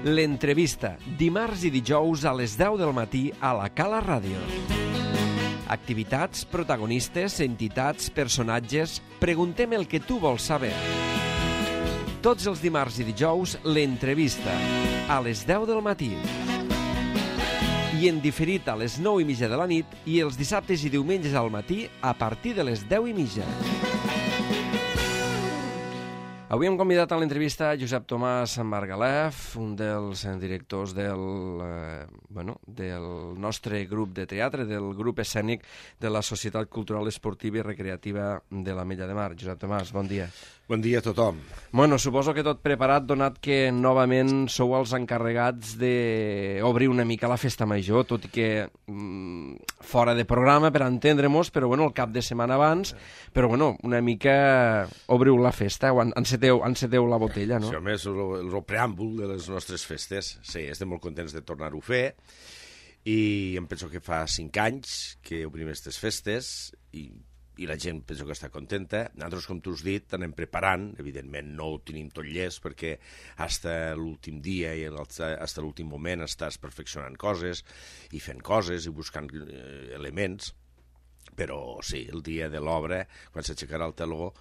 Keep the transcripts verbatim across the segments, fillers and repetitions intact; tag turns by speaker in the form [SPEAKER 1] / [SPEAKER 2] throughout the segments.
[SPEAKER 1] L'entrevista, dimarts i dijous a les deu del matí a la Cala Ràdio. Activitats, protagonistes, entitats, personatges... Preguntem el que tu vols saber. Tots els dimarts i dijous, l'entrevista, a les deu del matí. I en diferit a les nou i mitja de la nit i els dissabtes i diumenges al matí a partir de les deu i mitja. Avui hem convidat a l'entrevista Josep Tomàs Margalef, un dels directors del, eh, bueno, del nostre grup de teatre, del grup escènic de la Societat Cultural Esportiva i Recreativa de l'Ametlla de Mar. Josep Tomàs, bon dia.
[SPEAKER 2] Bon dia a tothom.
[SPEAKER 1] Bueno, suposo que tot preparat, donat que novament sou els encarregats d'obrir una mica la festa major, tot i que mm, fora de programa, per entendre-mos, però bueno, el cap de setmana abans, però bueno, una mica obriu la festa, o enceteu, enceteu la botella, no?
[SPEAKER 2] Sí, home, és el, el preàmbul de les nostres festes. Sí, estem molt contents de tornar-ho a fer, i em penso que fa cinc anys que obrim aquestes festes, i i la gent penso que està contenta. Nosaltres, com tu has dit, anem preparant, evidentment no ho tenim tot llest, perquè fins l'últim dia i fins l'últim moment estàs perfeccionant coses i fent coses i buscant eh, elements, però sí, el dia de l'obra, quan s'aixecarà el teló,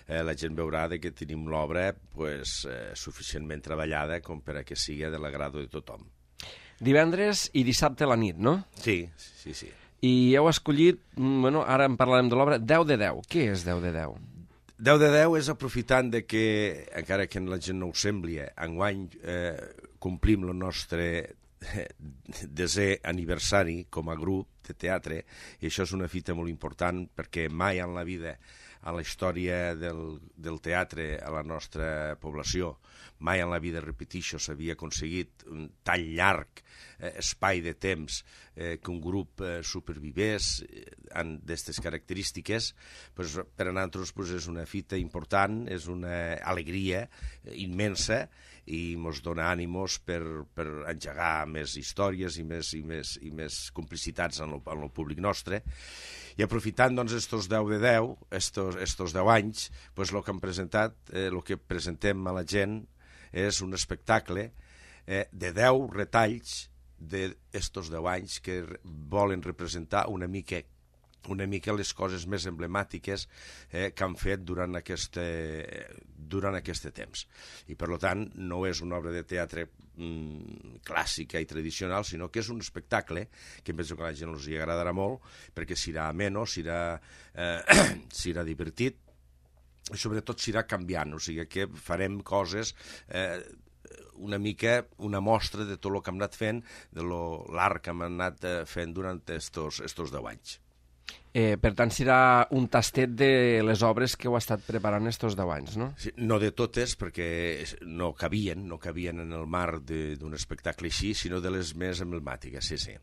[SPEAKER 2] eh, la gent veurà de que tenim l'obra pues, eh, suficientment treballada com per a que sigui de l'agrado de tothom.
[SPEAKER 1] Divendres i dissabte a la nit, no?
[SPEAKER 2] Sí, sí, sí.
[SPEAKER 1] I heu escollit, bueno, ara en parlarem de l'obra, deu de deu. Què és deu de deu?
[SPEAKER 2] deu de deu és aprofitant de que, encara que la gent no ho sembli, enguany eh, complim el nostre desè aniversari com a grup de teatre, i això és una fita molt important perquè mai en la vida, a la història del, del teatre a la nostra població, mai en la vida, repetixo, s'havia aconseguit un tan llarg eh, espai de temps eh, que un grup eh, supervivés eh, d'aquestes característiques. Pues, per a nosaltres pues, és una fita important, és una alegria eh, immensa, i ens dona ànimos per, per engegar més històries i més, i més, i més complicitats en el, en el públic nostre. I aprofitant doncs estos deu de deu, estos, estos deu anys, pues, el que hem presentat, eh, el que presentem a la gent és un espectacle eh, de deu retalls d'estos deu anys que volen representar una mica una mica les coses més emblemàtiques eh, que han fet durant aquest, durant aquest temps. I, per tant, no és una obra de teatre mm, clàssica i tradicional, sinó que és un espectacle que penso que a la gent els hi agradarà molt, perquè serà ameno, serà, eh, serà divertit, i sobretot serà canviant, o sigui que farem coses... Eh, una mica una mostra de tot el que hem anat fent, de l'art que hem anat fent durant estos, estos deu anys.
[SPEAKER 1] Eh, per tant, serà un tastet de les obres que heu estat preparant estos deu anys, no?
[SPEAKER 2] Sí, no de totes, perquè no cabien, no cabien en el marc d'un espectacle així, sinó de les més emblemàtiques, sí, sí.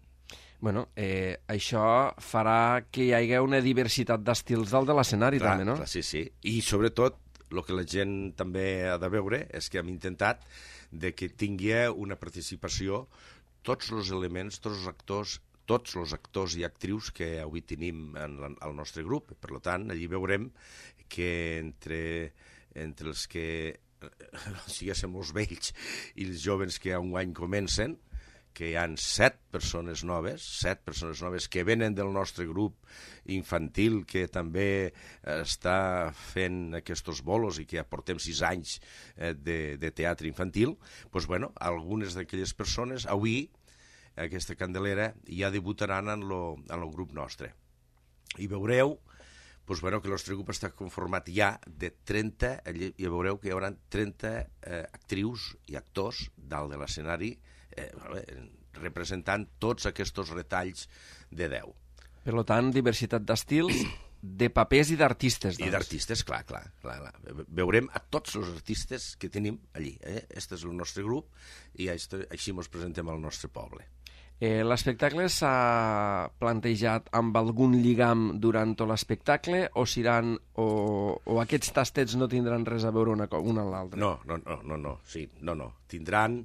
[SPEAKER 1] Bueno, eh, això farà que hi hagi una diversitat d'estils dalt de l'escenari, també, no?
[SPEAKER 2] Clar, sí, sí. I, sobretot, el que la gent també ha de veure és que hem intentat de que tingui una participació tots els elements, tots els actors, tots els actors i actrius que avui tenim en la, al nostre grup. Per tant, allí veurem que entre, entre els que siguéssim els vells i els joves que enguany comencen, que hi ha set persones noves, set persones noves que venen del nostre grup infantil, que també està fent aquests bolos i que ja portem sis anys de, de teatre infantil, doncs, bueno, algunes d'aquelles persones avui, aquesta Candelera, ja debutaran en el grup nostre. I veureu doncs, bueno, que el nostre grup està conformat ja de trenta, i veureu que hi haurà trenta eh, actrius i actors dalt de l'escenari, eh, representant tots aquests retalls de deu.
[SPEAKER 1] Per tant, diversitat d'estils, de papers i d'artistes.
[SPEAKER 2] I d'artistes, clar, clar, clar, clar. Veurem a tots els artistes que tenim allí. Eh? Este és el nostre grup i així ens presentem al nostre poble.
[SPEAKER 1] Eh, L'espectacle s'ha plantejat amb algun lligam durant tot l'espectacle o seran o, o aquests tastets no tindran res a veure una, una amb l'altra?
[SPEAKER 2] No, no, no, no, no, sí, no, no. Tindran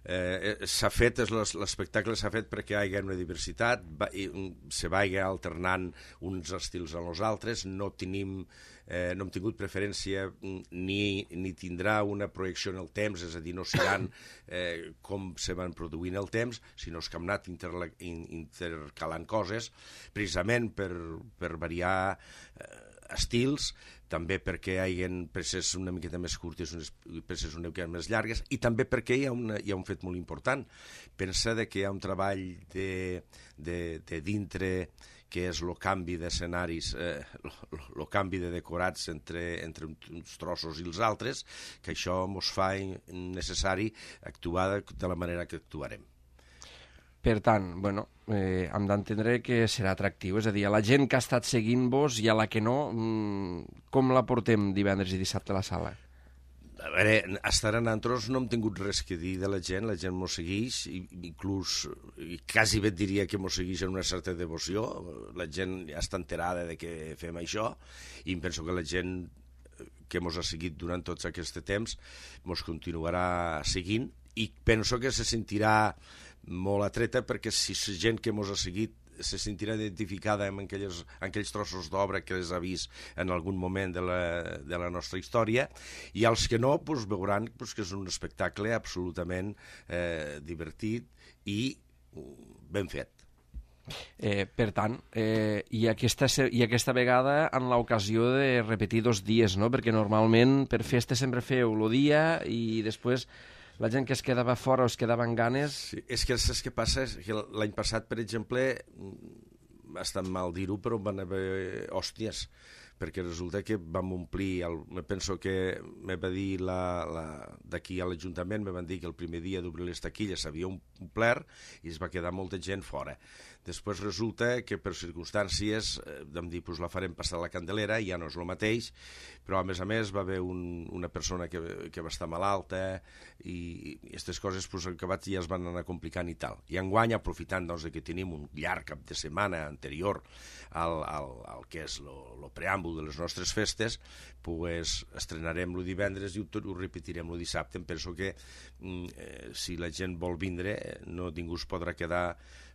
[SPEAKER 2] Eh, s'ha fet, l'espectacle s'ha fet perquè hi hagi una diversitat, va, i, se vagi alternant uns estils a els altres, no tenim, eh, no hem tingut preferència ni, ni tindrà una projecció en el temps, és a dir, no seran eh, com se van produint el temps, sinó que hem anat interla, in, intercalant coses, precisament per, per variar eh, estils, també perquè hi ha peces una miqueta més curtes, unes peces una miqueta més llargues, i també perquè hi ha, una, hi ha un fet molt important. Pensa que hi ha un treball de, de, de dintre, que és el canvi d'escenaris, el eh, canvi de decorats entre, entre uns trossos i els altres, que això ens fa necessari actuar de, de la manera que actuarem.
[SPEAKER 1] Per tant, bueno, eh, hem d'entendre que serà atractiu, és a dir, a la gent que ha estat seguint-vos i a la que no, mmm, com la portem divendres i dissabte a la sala?
[SPEAKER 2] A veure, fins ara nosaltres no hem tingut res que dir de la gent, la gent mos segueix, i, inclús, i quasi bé et diria que mos segueix amb una certa devoció, la gent ja està enterada de que fem això, i em penso que la gent que mos ha seguit durant tots aquest temps mos continuarà seguint, i penso que se sentirà molt atreta, perquè si la gent que mos ha seguit se sentirà identificada amb aquelles, amb aquells trossos d'obra que les ha vist en algun moment de la, de la nostra història, i els que no pues, veuran pues, que és un espectacle absolutament eh, divertit i ben fet.
[SPEAKER 1] Eh, per tant, eh, i, aquesta, i aquesta vegada en l'ocasió de repetir dos dies, no? Perquè normalment per festa sempre feu el dia i després la gent que es quedava fora o es quedava amb ganes...
[SPEAKER 2] Sí, és que saps què passa? És que l'any passat, per exemple, ha estat mal dir-ho, però van haver hòsties, perquè resulta que vam omplir, el, me penso que me va dir d'aquí a l'Ajuntament, me van dir que el primer dia d'obrir les taquilles s'havia omplert i es va quedar molta gent fora. Després resulta que per circumstàncies eh, vam dir, pues la farem passar a la Candelera, ja no és el mateix, però a més a més va haver un, una persona que, que va estar malalta i aquestes coses pues, al acabat ja es van anar complicant i tal. I enguany, aprofitant doncs, que tenim un llarg cap de setmana anterior al, al, al que és el preàmbul de les nostres festes, pues, estrenarem el divendres i ho, ho repetirem el dissabte. Em penso que eh, si la gent vol vindre, no ningú es podrà quedar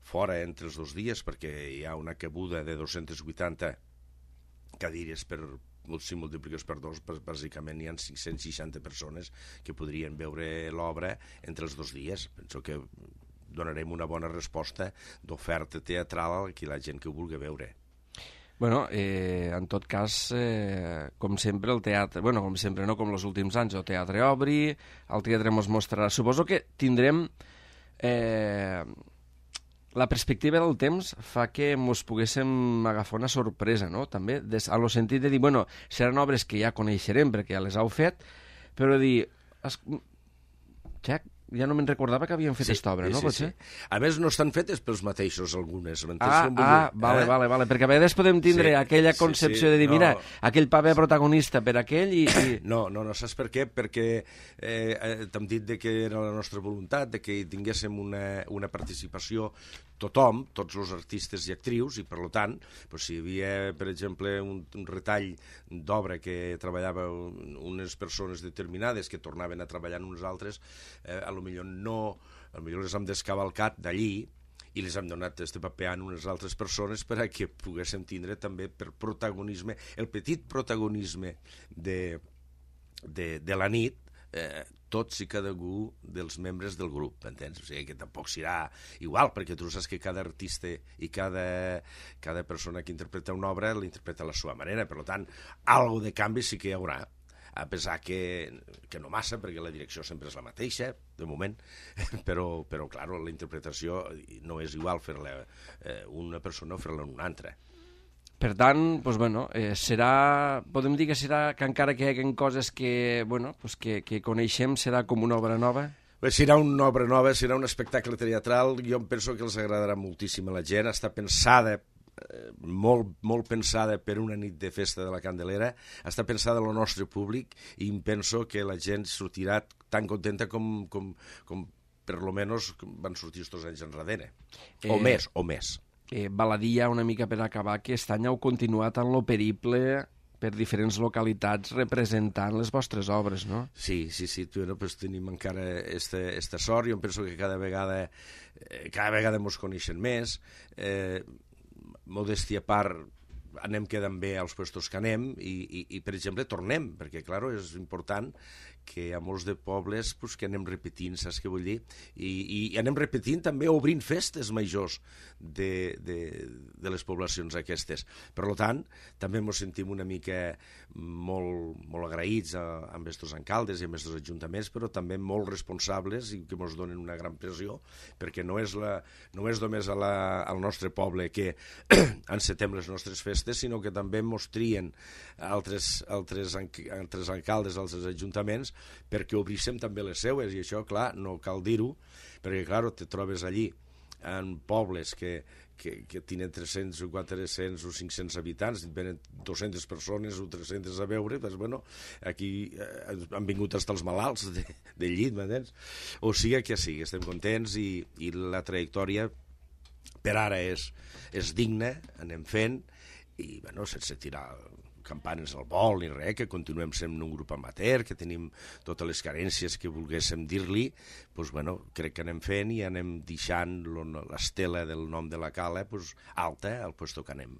[SPEAKER 2] fora entre els dos dies, perquè hi ha una cabuda de dos-centes vuitanta cadires per, si multipliques per dos, bàsicament hi ha cinc-cents seixanta persones que podrien veure l'obra entre els dos dies. Penso que donarem una bona resposta d'oferta teatral a la gent que ho vulgui veure.
[SPEAKER 1] Bueno, eh, en tot cas, eh, com sempre, el teatre... Bueno, com sempre, no com els últims anys, el teatre obri, el teatre ens mostrarà... Suposo que tindrem... Eh, la perspectiva del temps fa que ens poguéssim agafar una sorpresa, no? També, des, a lo sentit de dir, bueno, seran obres que ja coneixerem perquè ja les heu fet, però dir... Es... Jack, ja no me'n recordava que havien fet
[SPEAKER 2] sí,
[SPEAKER 1] aquesta obra,
[SPEAKER 2] sí,
[SPEAKER 1] no?
[SPEAKER 2] Sí,
[SPEAKER 1] Potser?
[SPEAKER 2] Sí. A més, no estan fetes pels mateixos, algunes.
[SPEAKER 1] Ah, ah vale, eh? vale, vale, perquè a vegades podem tindre sí, aquella concepció sí, sí, de dir, no. Mira, aquell paper protagonista per aquell i... i...
[SPEAKER 2] No, no, no, saps per què? Perquè eh, t'hem dit de que era la nostra voluntat, de que tinguéssim una, una participació tothom, tots els artistes i actrius, i per tant, doncs, si hi havia, per exemple, un, un retall d'obra que treballava unes persones determinades que tornaven a treballar en uns altres, eh, a lo millor no, a lo millor les hem descavalcat d'allí i les hem donat este paper a unes altres persones per a que poguéssim tindre també per protagonisme, el petit protagonisme de, de, de la nit, eh, tots i cada un dels membres del grup, entens? O sigui que tampoc serà igual, perquè tu saps que cada artista i cada, cada persona que interpreta una obra l'interpreta a la seva manera, per tant, algo de canvi sí que hi haurà, a pesar que, que no massa, perquè la direcció sempre és la mateixa, de moment, però, però clar, la interpretació no és igual fer-la eh, una persona o fer-la una altra.
[SPEAKER 1] Per tant, doncs, bueno, eh, serà, podem dir que serà que encara que hi hagi coses que, bueno, doncs que, que coneixem, serà com una obra nova?
[SPEAKER 2] Bé, serà una obra nova, serà un espectacle teatral, jo em penso que els agradarà moltíssim a la gent, està pensada, eh, molt, molt pensada per una nit de festa de la Candelera, està pensada al nostre públic i em penso que la gent sortirà tan contenta com, com, com per lo menos van sortir estos anys enrere, eh... o més, o més.
[SPEAKER 1] Eh, baladia una mica per acabar, que aquest any heu continuat en lo periple per diferents localitats representant les vostres obres, no?
[SPEAKER 2] Sí, sí, sí, bueno, pues tenim encara esta, esta sort, jo penso que cada vegada eh, cada vegada mos coneixen més, eh, modèstia a part, anem quedant bé als puestos que anem i, i, i per exemple, tornem, perquè, clar, és important que a molts de pobles pues, que anem repetint, saps què vull dir? I, i anem repetint també obrint festes majors de, de, de les poblacions aquestes. Per tant, també ens sentim una mica molt, molt agraïts a, amb estos alcaldes i amb estos ajuntaments, però també molt responsables i que ens donen una gran pressió, perquè no és, la, no és només a la, al nostre poble que encetem les nostres festes, sinó que també ens trien altres, altres, altres alcaldes, altres ajuntaments, perquè obríssim també les seues, i això, clar, no cal dir-ho, perquè, clar, te trobes allí en pobles que, que, que tenen tres-cents o quatre-cents o cinc-cents habitants, venen dues-centes persones o tres-centes a veure, doncs, bueno, aquí eh, han vingut fins els malalts de, de llit, m'entens? O sigui que sí, estem contents i, i la trajectòria per ara és, és digna, anem fent, i, bueno, sense tirar campanes al vol ni res, que continuem sent un grup amateur, que tenim totes les carències que volguéssim dir-li, doncs, bueno, crec que anem fent i anem deixant l'estela del nom de la cala pues, alta al lloc que anem.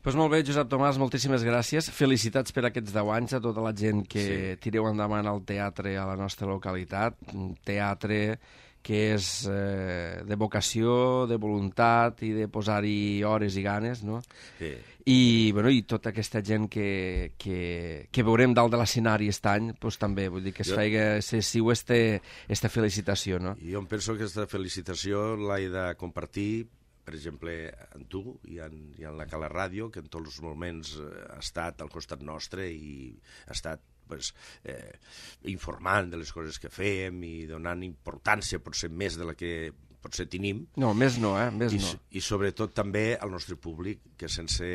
[SPEAKER 1] Pues molt bé, Josep Tomàs, moltíssimes gràcies. Felicitats per aquests deu anys a tota la gent que sí. tireu endavant el teatre a la nostra localitat, un teatre que és eh, de vocació, de voluntat i de posar-hi hores i ganes, no?
[SPEAKER 2] Sí.
[SPEAKER 1] I, bueno, i tota aquesta gent que, que, que veurem dalt de l'escenari aquest any, pues, també, vull dir que es jo... feia, se siu este, esta felicitació, no?
[SPEAKER 2] Jo em penso que aquesta felicitació l'he de compartir, per exemple, amb tu i en, i en la Cala Ràdio, que en tots els moments ha estat al costat nostre i ha estat pues, eh, informant de les coses que fèiem i donant importància potser més de la que potser tenim.
[SPEAKER 1] No, més no, eh? Més
[SPEAKER 2] I,
[SPEAKER 1] no.
[SPEAKER 2] I sobretot també al nostre públic, que sense,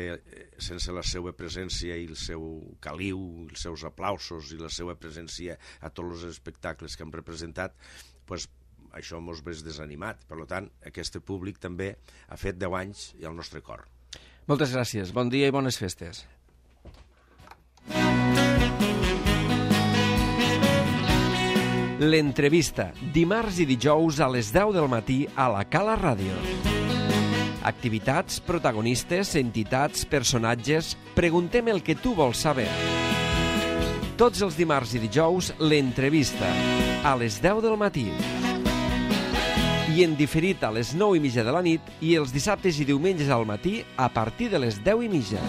[SPEAKER 2] sense la seva presència i el seu caliu, els seus aplausos i la seva presència a tots els espectacles que hem representat, pues, això mos ves desanimat. Per tant, aquest públic també ha fet deu anys i al nostre cor.
[SPEAKER 1] Moltes gràcies, bon dia i bones festes. L'entrevista, dimarts i dijous a les deu del matí a la Cala Ràdio. Activitats, protagonistes, entitats, personatges... Preguntem el que tu vols saber. Tots els dimarts i dijous, l'entrevista, a les deu del matí. I en diferit a les nou i mitja de la nit i els dissabtes i diumenges al matí a partir de les deu i mitja.